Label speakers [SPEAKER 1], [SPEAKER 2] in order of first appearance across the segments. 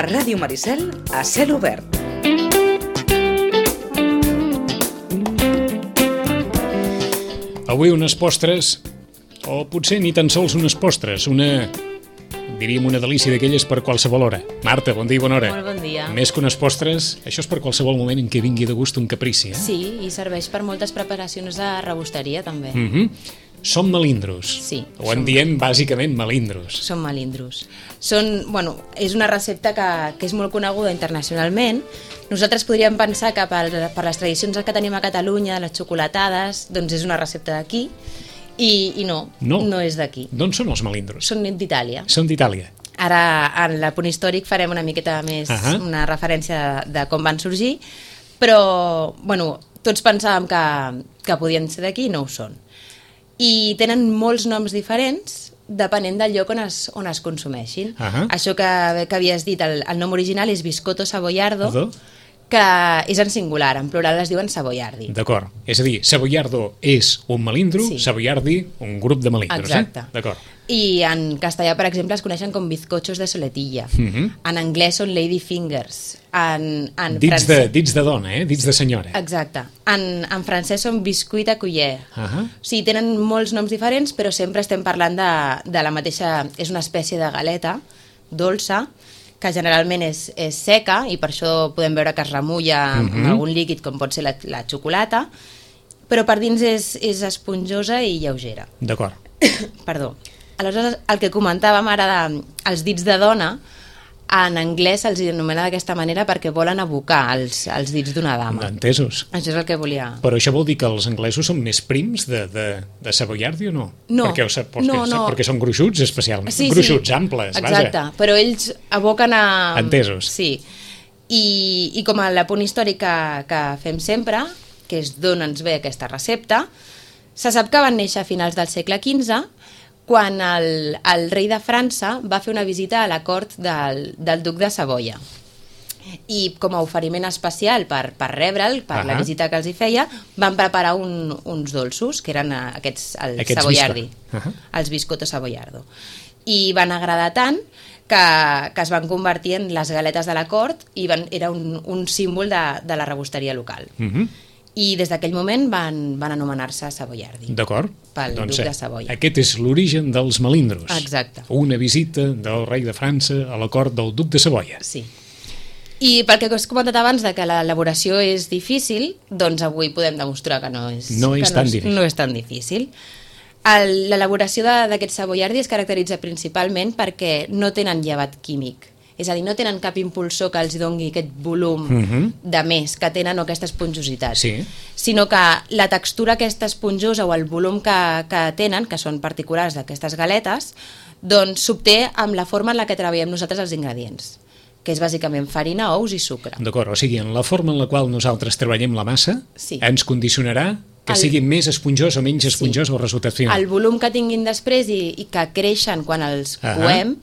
[SPEAKER 1] Ràdio Maricel a cel obert.
[SPEAKER 2] Avui unes postres, o potser ni tan sols unes postres, diríem una delícia d'aquelles per qualsevol hora. Marta, bon dia i bona hora.
[SPEAKER 3] Molt bon dia.
[SPEAKER 2] Més que unes postres, això és per qualsevol moment en què vingui de gust un caprici, eh?
[SPEAKER 3] Sí, i serveix per moltes preparacions de rebosteria, també.
[SPEAKER 2] Són melindros.
[SPEAKER 3] Sí.
[SPEAKER 2] O en diem bàsicament melindros.
[SPEAKER 3] Són melindros. És una recepta que és molt coneguda internacionalment. Nosaltres podríem pensar que per les tradicions que tenim a Catalunya, les xocolatades, doncs és una recepta d'aquí, i no és d'aquí.
[SPEAKER 2] D'on són els melindros?
[SPEAKER 3] Són d'Itàlia.
[SPEAKER 2] Són d'Itàlia.
[SPEAKER 3] Ara, en l'apunt històric, farem una miqueta més una referència de com van sorgir, però, tots pensàvem que podien ser d'aquí i no ho són. I tenen molts noms diferents depenent del lloc on es consumeixin. Això que havies dit, el nom original és biscotto savoiardo, que és en singular, en plural es diuen savoiardi.
[SPEAKER 2] D'acord, és a dir, savoiardo és un melindro,
[SPEAKER 3] Sí.
[SPEAKER 2] savoiardi un grup de melindros.
[SPEAKER 3] Exacte.
[SPEAKER 2] D'acord.
[SPEAKER 3] I en castellà, per exemple, es coneixen com bizcochos de soletilla. En anglès són lady fingers.
[SPEAKER 2] Dits de dona, dits de senyora.
[SPEAKER 3] Exacte. En francès són biscuit à cuillère. O sigui, tenen molts noms diferents, però sempre estem parlant de la mateixa... És una espècie de galeta dolça, que generalment és seca, i per això podem veure que es remulla amb algun líquid, com pot ser la xocolata, però per dins és esponjosa i lleugera.
[SPEAKER 2] D'acord.
[SPEAKER 3] Perdó. Aleshores, el que comentàvem ara dels dits de dona, en anglès se'ls anomena d'aquesta manera perquè volen abocar els dits d'una dama.
[SPEAKER 2] Entesos.
[SPEAKER 3] Això és el que volia...
[SPEAKER 2] Però això vol dir que els anglesos són més prims de savoiardi o no?
[SPEAKER 3] No.
[SPEAKER 2] Perquè són gruixuts especialment.
[SPEAKER 3] Sí,
[SPEAKER 2] gruixuts, amples,
[SPEAKER 3] exacte,
[SPEAKER 2] vaja.
[SPEAKER 3] però ells aboquen a...
[SPEAKER 2] Entesos.
[SPEAKER 3] Sí. I com a l'apunt històric que fem sempre, que és d'on ens ve aquesta recepta, se sap que van néixer a finals del segle XV, quan el rei de França va fer una visita a la cort del duc de Savoia. I com a oferiment especial per rebre'l, per la visita que els hi feia, van preparar uns dolços, que eren aquests savoiardi, els biscotto savoiardo. I van agradar tant que es van convertir en les galetes de la cort i era un símbol de la rebosteria local. I des d'aquell moment van anomenar-se savoiardi.
[SPEAKER 2] D'acord.
[SPEAKER 3] Pel duc de Savoia.
[SPEAKER 2] Aquest és l'origen dels melindros.
[SPEAKER 3] Exacte.
[SPEAKER 2] Una visita del rei de França a la cort del duc de Savoia.
[SPEAKER 3] Sí. I pel que has comentat abans de que l'elaboració és difícil, doncs avui podem demostrar que no és tan difícil. L'elaboració d'aquest savoiardi es caracteritza principalment perquè no tenen llevat químic. És a dir, no tenen cap impulsor que els doni aquest volum de més que tenen o aquesta esponjositat, sinó que la textura aquesta esponjosa o el volum que tenen, que són particulars d'aquestes galetes, doncs s'obté amb la forma en la que treballem nosaltres els ingredients, que és bàsicament farina, ous i sucre.
[SPEAKER 2] D'acord, o sigui, en la forma en la qual nosaltres treballem la massa ens condicionarà que sigui més esponjós o menys esponjós el resultat final.
[SPEAKER 3] El volum que tinguin després i que creixen quan els coem,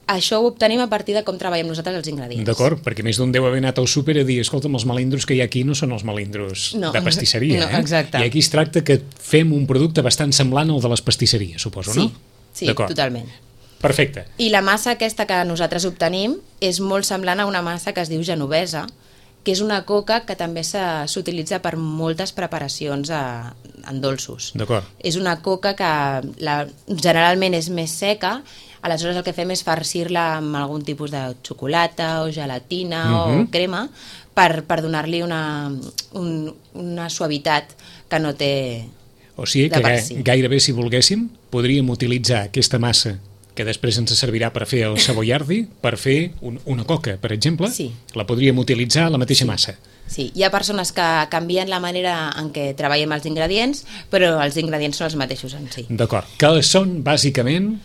[SPEAKER 3] això ho obtenim a partir de com treballem nosaltres els ingredients.
[SPEAKER 2] D'acord, perquè més d'un deu haver anat al súper a dir, escolta'm, els melindros que hi ha aquí no són els melindros de pastisseria.
[SPEAKER 3] No, exacte.
[SPEAKER 2] I aquí es tracta que fem un producte bastant semblant al de les pastisseries, suposo, no?
[SPEAKER 3] Sí, totalment.
[SPEAKER 2] Perfecte.
[SPEAKER 3] I la massa aquesta que nosaltres obtenim és molt semblant a una massa que es diu genovesa, que és una coca que també s'utilitza per moltes preparacions en dolços.
[SPEAKER 2] D'acord.
[SPEAKER 3] És una coca que generalment és més seca, aleshores el que fem és farcir-la amb algun tipus de xocolata o gelatina o crema per donar-li una suavitat que no té de per si.
[SPEAKER 2] O sigui que gairebé, si volguéssim, podríem utilitzar aquesta massa que després ens servirà per fer el savoiardi, per fer una coca, per exemple.
[SPEAKER 3] Sí.
[SPEAKER 2] La podríem utilitzar la mateixa massa.
[SPEAKER 3] Sí, hi ha persones que canvien la manera en què treballem els ingredients, però els ingredients són els mateixos en si.
[SPEAKER 2] D'acord, que són bàsicament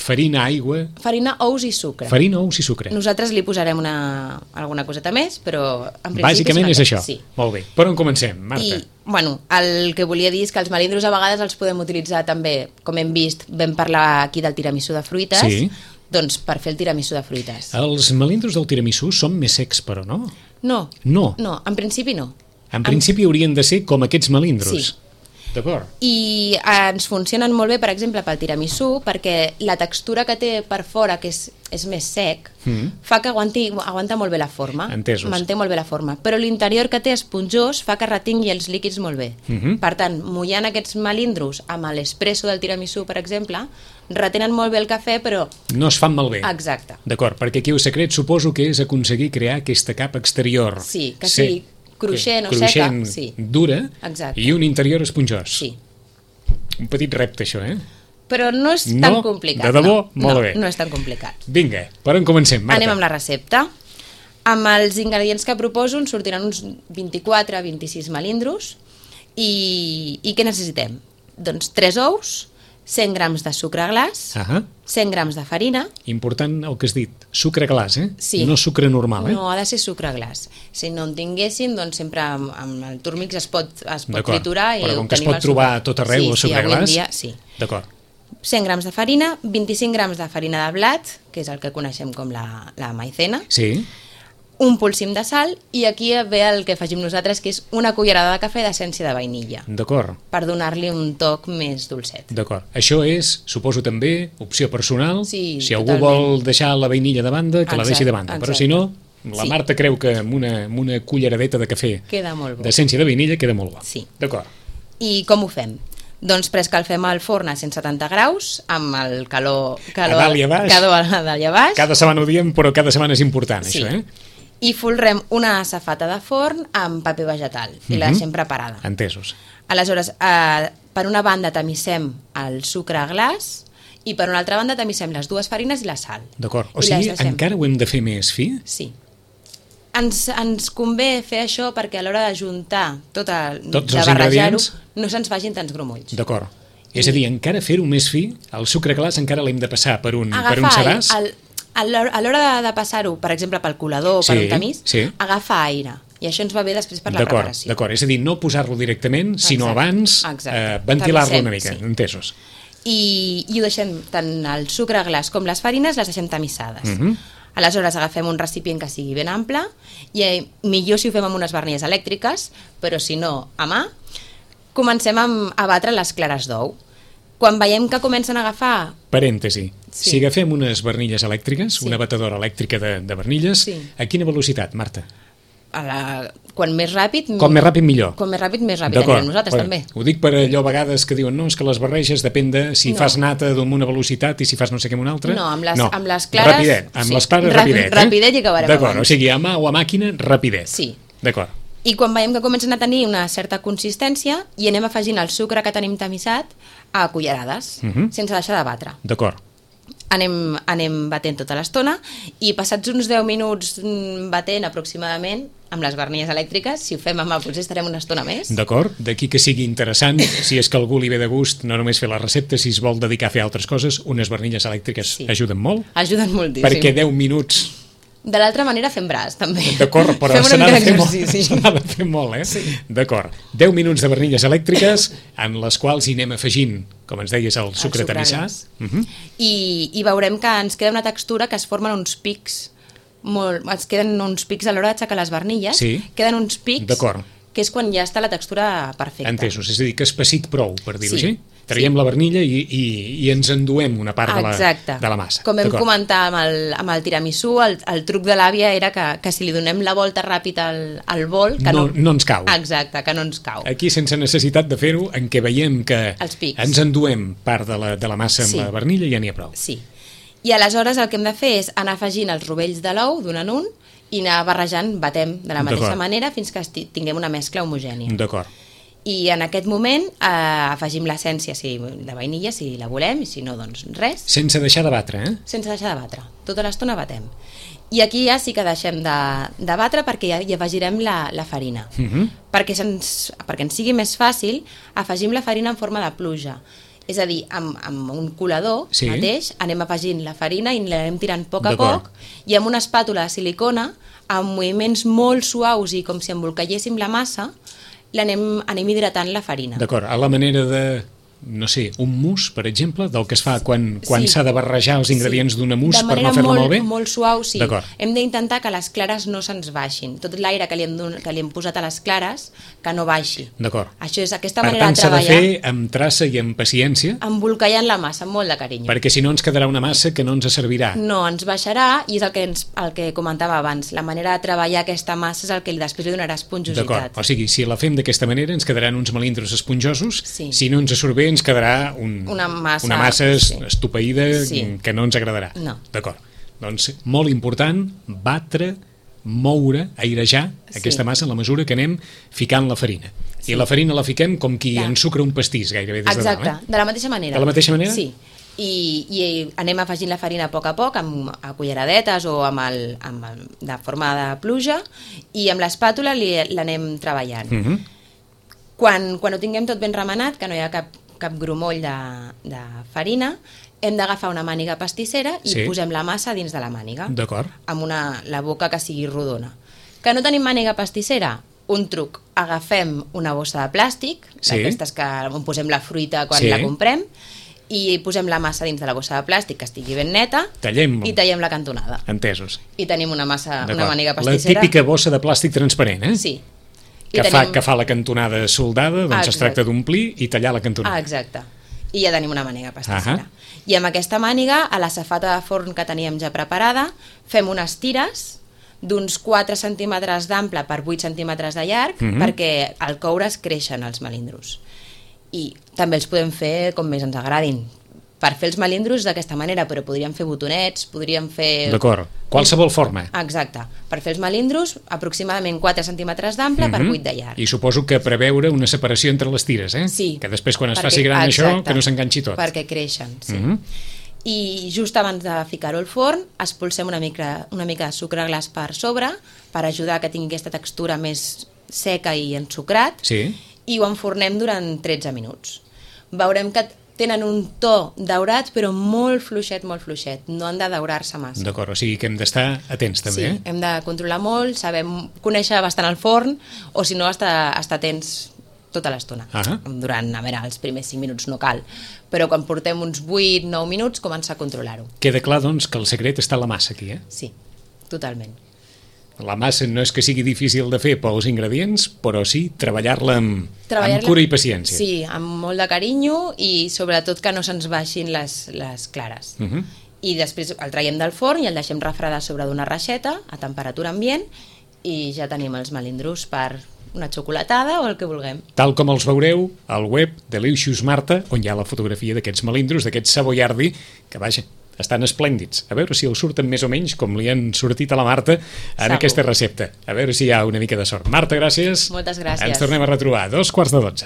[SPEAKER 2] farina, aigua...
[SPEAKER 3] Farina, ous i sucre.
[SPEAKER 2] Farina, ous i sucre.
[SPEAKER 3] Nosaltres li posarem alguna coseta més, però en principi...
[SPEAKER 2] Bàsicament és això.
[SPEAKER 3] Sí.
[SPEAKER 2] Molt bé. Per on comencem, Marta?
[SPEAKER 3] El que volia dir és que els melindros a vegades els podem utilitzar també, com hem vist, vam parlar aquí del tiramisú de fruites, doncs per fer el tiramisú de fruites.
[SPEAKER 2] Els melindros del tiramisú són més secs, però no?
[SPEAKER 3] No, en principi no.
[SPEAKER 2] En principi haurien de ser com aquests melindros.
[SPEAKER 3] Sí.
[SPEAKER 2] D'acord.
[SPEAKER 3] I ens funcionen molt bé, per exemple, pel tiramisú, perquè la textura que té per fora, que és més sec, fa que aguanta molt bé la forma.
[SPEAKER 2] Entesos.
[SPEAKER 3] Manté molt bé la forma. Però l'interior que té esponjós fa que retingui els líquids molt bé. Per tant, mullant aquests melindros amb l'espresso del tiramisú, per exemple, retenen molt bé el cafè, però...
[SPEAKER 2] No es fan malbé.
[SPEAKER 3] Exacte.
[SPEAKER 2] D'acord, perquè aquí el secret suposo que és aconseguir crear aquesta capa exterior.
[SPEAKER 3] Sí, que sigui cruixent o seca. Sí.
[SPEAKER 2] Dura.
[SPEAKER 3] Exacte.
[SPEAKER 2] I un interior esponjós.
[SPEAKER 3] Sí.
[SPEAKER 2] Un petit repte, això, eh?
[SPEAKER 3] Però no és tan complicat.
[SPEAKER 2] De debò? Molt bé.
[SPEAKER 3] No és tan complicat.
[SPEAKER 2] Vinga, per on comencem, Marta?
[SPEAKER 3] Anem amb la recepta. Amb els ingredients que proposo ens sortiran uns 24-26 melindros i què necessitem? Doncs 3 ous, 100 grams de sucre glaç, 100 grams de farina...
[SPEAKER 2] Important el que has dit, sucre glaç, eh?
[SPEAKER 3] Sí.
[SPEAKER 2] No sucre normal, eh?
[SPEAKER 3] No, ha de ser sucre glaç. Si no en tinguéssim, doncs sempre amb el Turmix es pot triturar i
[SPEAKER 2] però com que es
[SPEAKER 3] obtenim
[SPEAKER 2] pot trobar a tot arreu el sucre glaç...
[SPEAKER 3] dia, sí.
[SPEAKER 2] D'acord.
[SPEAKER 3] 100 grams de farina, 25 grams de farina de blat, que és el que coneixem com la maicena,
[SPEAKER 2] Sí.
[SPEAKER 3] un polsim de sal i aquí ve el que afegim nosaltres, que és una cullerada de cafè d'essència de vainilla,
[SPEAKER 2] D'acord.
[SPEAKER 3] per donar-li un toc més dolcet.
[SPEAKER 2] D'acord. Això és, suposo també, opció personal.
[SPEAKER 3] Sí,
[SPEAKER 2] si algú
[SPEAKER 3] totalment.
[SPEAKER 2] vol deixar la vainilla de banda, que la deixi de banda. Però si no, la
[SPEAKER 3] Sí.
[SPEAKER 2] Marta creu que amb una culleradeta de cafè
[SPEAKER 3] Queda molt bo.
[SPEAKER 2] d'essència de vainilla queda molt bo.
[SPEAKER 3] Sí.
[SPEAKER 2] D'acord.
[SPEAKER 3] I com ho fem? Doncs preescalfem al forn a 170 graus amb el calor
[SPEAKER 2] A dalt i a baix.
[SPEAKER 3] a dalt i a baix.
[SPEAKER 2] Cada setmana ho diem, però cada setmana és important,
[SPEAKER 3] Sí.
[SPEAKER 2] això, eh?
[SPEAKER 3] I folrem una safata de forn amb paper vegetal i la deixem preparada.
[SPEAKER 2] Entesos.
[SPEAKER 3] Aleshores, per una banda tamissem el sucre glaç i per una altra banda tamissem les dues farines i la sal.
[SPEAKER 2] D'acord. O
[SPEAKER 3] I
[SPEAKER 2] sigui,
[SPEAKER 3] les deixem.
[SPEAKER 2] encara ho hem de fer més fi?
[SPEAKER 3] Sí. Ens convé fer això perquè a l'hora d'ajuntar
[SPEAKER 2] Tots
[SPEAKER 3] de
[SPEAKER 2] els
[SPEAKER 3] barrejar-ho
[SPEAKER 2] ingredients.
[SPEAKER 3] no se'ns vagin tants grumolls.
[SPEAKER 2] D'acord. És a dir, encara fer-ho més fi, el sucre glaç encara l'hem de passar per un sedàs?
[SPEAKER 3] A l'hora de passar-ho, per exemple, pel colador o per un tamís, agafa aire. I això ens va bé després per la preparació.
[SPEAKER 2] D'acord, és a dir, no posar-lo directament, sinó abans ventilar-lo una mica, entesos.
[SPEAKER 3] I ho deixem, tant el sucre glaç com les farines les deixem tamissades. Aleshores agafem un recipient que sigui ben ample i millor si ho fem amb unes barnilles elèctriques, però si no, a mà, comencem a batre les clares d'ou. Quan veiem que comencen a agafar...
[SPEAKER 2] Parèntesi.
[SPEAKER 3] Sí.
[SPEAKER 2] Si agafem unes barnilles elèctriques,
[SPEAKER 3] Sí.
[SPEAKER 2] una batedora elèctrica de barnilles,
[SPEAKER 3] Sí.
[SPEAKER 2] a quina velocitat, Marta?
[SPEAKER 3] Quan més ràpid...
[SPEAKER 2] Com més ràpid, millor.
[SPEAKER 3] Com més ràpid anirem nosaltres, també.
[SPEAKER 2] Ho dic per allò a vegades que diuen no, és que les barreges depèn de si fas nata amb una velocitat i si fas no sé què amb una altra.
[SPEAKER 3] No, amb les clares...
[SPEAKER 2] Rapidet, amb les clares rapidet.
[SPEAKER 3] Rapidet i acabarem
[SPEAKER 2] D'acord,
[SPEAKER 3] abans.
[SPEAKER 2] o sigui, a mà o a màquina, rapidet.
[SPEAKER 3] Sí.
[SPEAKER 2] D'acord.
[SPEAKER 3] I quan veiem que comencen a tenir una certa consistència i anem afegint el sucre que tenim tamissat a cullerades, sense deixar de batre.
[SPEAKER 2] D'acord.
[SPEAKER 3] Anem batent tota l'estona i passats uns 10 minuts batent aproximadament amb les barnilles elèctriques, si ho fem amb mà potser estarem una estona més.
[SPEAKER 2] D'acord, d'aquí que sigui interessant, si és que algú li ve de gust, no només fer la recepta, si es vol dedicar a fer altres coses, unes barnilles elèctriques ajuden molt.
[SPEAKER 3] Ajuden moltíssim.
[SPEAKER 2] Perquè 10 minuts...
[SPEAKER 3] De l'altra manera fem braç, també.
[SPEAKER 2] D'acord, però
[SPEAKER 3] fem
[SPEAKER 2] se n'ha de
[SPEAKER 3] una
[SPEAKER 2] fer molt, eh? Sí. D'acord. 10 minuts de barnilles elèctriques en les quals hi anem afegint, com ens deies, el sucre tamissat.
[SPEAKER 3] I veurem que ens queda una textura que es formen uns pics, ens queden uns pics a l'hora d'aixecar les barnilles, queden uns pics, que és quan ja està la textura perfecta.
[SPEAKER 2] Entesos, és a dir, que és passit prou, per dir-ho així. Traiem la barnilla i ens enduem una part de la massa.
[SPEAKER 3] Com vam comentar amb el tiramisú, el truc de l'àvia era que si li donem la volta ràpida al bol...
[SPEAKER 2] No ens cau.
[SPEAKER 3] Exacte, que no ens cau.
[SPEAKER 2] Aquí, sense necessitat de fer-ho, en què veiem que ens enduem part de la massa amb la barnilla, ja n'hi ha prou.
[SPEAKER 3] Sí. I aleshores el que hem de fer és anar afegint els rovells de l'ou d'un en un i anar barrejant, batem de la mateixa manera fins que tinguem una mescla homogènia.
[SPEAKER 2] D'acord.
[SPEAKER 3] I en aquest moment afegim l'essència de vainilla, si la volem, i si no, doncs res.
[SPEAKER 2] Sense deixar de batre, eh?
[SPEAKER 3] Sense deixar de batre. Tota l'estona batem. I aquí ja sí que deixem de batre perquè ja hi afegirem la farina. Perquè ens sigui més fàcil, afegim la farina en forma de pluja. És a dir, amb un colador mateix anem afegint la farina i l'anem tirant a poc i amb una espàtula de silicona, amb moviments molt suaus i com si embolcalléssim la massa, anem hidratant la farina.
[SPEAKER 2] D'acord, a la manera no sé, un mousse, per exemple, del que es fa quan
[SPEAKER 3] Sí.
[SPEAKER 2] s'ha de barrejar els ingredients d'una mousse
[SPEAKER 3] de
[SPEAKER 2] per no
[SPEAKER 3] manera
[SPEAKER 2] fer-la molt bé?
[SPEAKER 3] molt suau, sí.
[SPEAKER 2] D'acord.
[SPEAKER 3] Hem d'intentar que les clares no se'ns baixin. Tot l'aire que li hem posat a les clares, que no baixi.
[SPEAKER 2] D'acord.
[SPEAKER 3] Això és aquesta
[SPEAKER 2] Per
[SPEAKER 3] manera
[SPEAKER 2] tant,
[SPEAKER 3] de
[SPEAKER 2] s'ha de
[SPEAKER 3] treballar,
[SPEAKER 2] fer amb traça i amb paciència,
[SPEAKER 3] embolcallant la massa amb molt de carinyo.
[SPEAKER 2] perquè si no ens quedarà una massa que no ens servirà.
[SPEAKER 3] No, ens baixarà, i és el que comentava abans. La manera de treballar aquesta massa és el que després li donarà esponjositat.
[SPEAKER 2] D'acord, o sigui, si la fem d'aquesta manera ens quedaran uns melindros esponjosos,
[SPEAKER 3] Sí.
[SPEAKER 2] si no ens surt bé ens quedarà
[SPEAKER 3] Una massa,
[SPEAKER 2] sí,
[SPEAKER 3] sí.
[SPEAKER 2] estopeïda
[SPEAKER 3] Sí.
[SPEAKER 2] que no ens agradarà.
[SPEAKER 3] No.
[SPEAKER 2] D'acord, doncs molt important batre, moure, airejar aquesta massa en la mesura que anem ficant la farina. I la farina la fiquem com qui
[SPEAKER 3] Ja.
[SPEAKER 2] ensucra un pastís gairebé des de
[SPEAKER 3] Exacte,
[SPEAKER 2] dalt.
[SPEAKER 3] de la mateixa manera.
[SPEAKER 2] De la mateixa manera?
[SPEAKER 3] Sí. I anem afegint la farina a poc, a culleradetes o de forma de pluja, i amb l'espàtula l'anem treballant. Quan ho tinguem tot ben remenat, que no hi ha cap grumoll de farina, hem d'agafar una màniga pastissera i
[SPEAKER 2] Sí.
[SPEAKER 3] posem la massa dins de la màniga,
[SPEAKER 2] D'acord.
[SPEAKER 3] amb la boca que sigui rodona. Que no tenim màniga pastissera? Un truc, agafem una bossa de plàstic,
[SPEAKER 2] Sí.
[SPEAKER 3] d'aquestes on posem la fruita quan
[SPEAKER 2] Sí.
[SPEAKER 3] la comprem, i posem la massa dins de la bossa de plàstic, que estigui ben neta,
[SPEAKER 2] Tallem.
[SPEAKER 3] i tallem la cantonada.
[SPEAKER 2] Entesos.
[SPEAKER 3] I tenim una màniga
[SPEAKER 2] D'acord.
[SPEAKER 3] pastissera.
[SPEAKER 2] La típica bossa de plàstic transparent, eh?
[SPEAKER 3] Sí.
[SPEAKER 2] Que fa la cantonada soldada, doncs es
[SPEAKER 3] Exacte.
[SPEAKER 2] tracta d'omplir i tallar la cantonada.
[SPEAKER 3] Exacte. I ja tenim una màniga pastissera.
[SPEAKER 2] Ahà.
[SPEAKER 3] I amb aquesta màniga, a la safata de forn que teníem ja preparada, fem unes tires d'uns 4 centímetres d'ample per 8 centímetres de llarg, perquè al coure's creixen els melindros. I també els podem fer com més ens agradin. Per fer els melindros d'aquesta manera, però podríem fer botonets, podríem fer...
[SPEAKER 2] D'acord. Qualsevol forma.
[SPEAKER 3] Exacte. Per fer els melindros, aproximadament 4 centímetres d'ample per 8 de llarg.
[SPEAKER 2] I suposo que preveure una separació entre les tires, eh?
[SPEAKER 3] Sí.
[SPEAKER 2] Que després, quan es
[SPEAKER 3] Perquè-
[SPEAKER 2] faci gran això,
[SPEAKER 3] exacte.
[SPEAKER 2] que no s'enganxi tot.
[SPEAKER 3] Perquè creixen, sí. I just abans de ficar-ho al forn, espolsem una mica de sucre glaç per sobre, per ajudar que tingui aquesta textura més seca i ensucrat,
[SPEAKER 2] Sí.
[SPEAKER 3] i ho enfornem durant 13 minuts. Veurem que tenen un to daurat, però molt fluixet, no han de daurar-se massa.
[SPEAKER 2] D'acord, o sigui que hem d'estar atents també,
[SPEAKER 3] Sí, hem de controlar molt, conèixer bastant el forn, o si no, estar atents tota l'estona. Durant, els primers 5 minuts no cal, però quan portem uns 8-9 minuts comença a controlar-ho.
[SPEAKER 2] Queda clar, doncs, que el secret està en la massa aquí, eh?
[SPEAKER 3] Sí, totalment.
[SPEAKER 2] La massa no és que sigui difícil de fer pels ingredients, però sí treballar-la amb cura i paciència.
[SPEAKER 3] Sí, amb molt de carinyo i sobretot que no se'ns baixin les clares. I després el traiem del forn i el deixem refredar sobre d'una reixeta a temperatura ambient i ja tenim els melindros per una xocolatada o el que vulguem.
[SPEAKER 2] Tal com els veureu al web de Delicious Marta, on hi ha la fotografia d'aquests melindros, d'aquests savoiardi, que vaja, estan esplèndids. A veure si els surten més o menys com li han sortit a la Marta en
[SPEAKER 3] Segur.
[SPEAKER 2] aquesta recepta. A veure si hi ha una mica de sort. Marta, gràcies.
[SPEAKER 3] Moltes gràcies.
[SPEAKER 2] Ens tornem a retrobar a 2:15.